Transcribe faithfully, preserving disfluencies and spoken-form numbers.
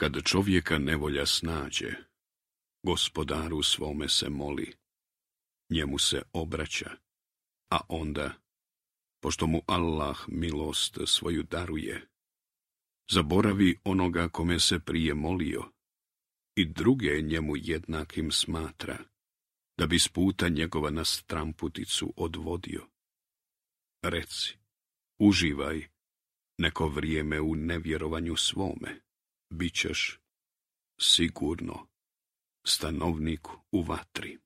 Kad čovjeka nevolja snađe, Gospodaru svome se moli, njemu se obraća, a onda, pošto mu Allah milost svoju daruje, zaboravi onoga kome se prije molio i druge njemu jednakim smatra, da bi s puta njegova na stramputicu odvodio. Reci, uživaj neko vrijeme u nevjerovanju svome, bit ćeš sigurno stanovnik u vatri.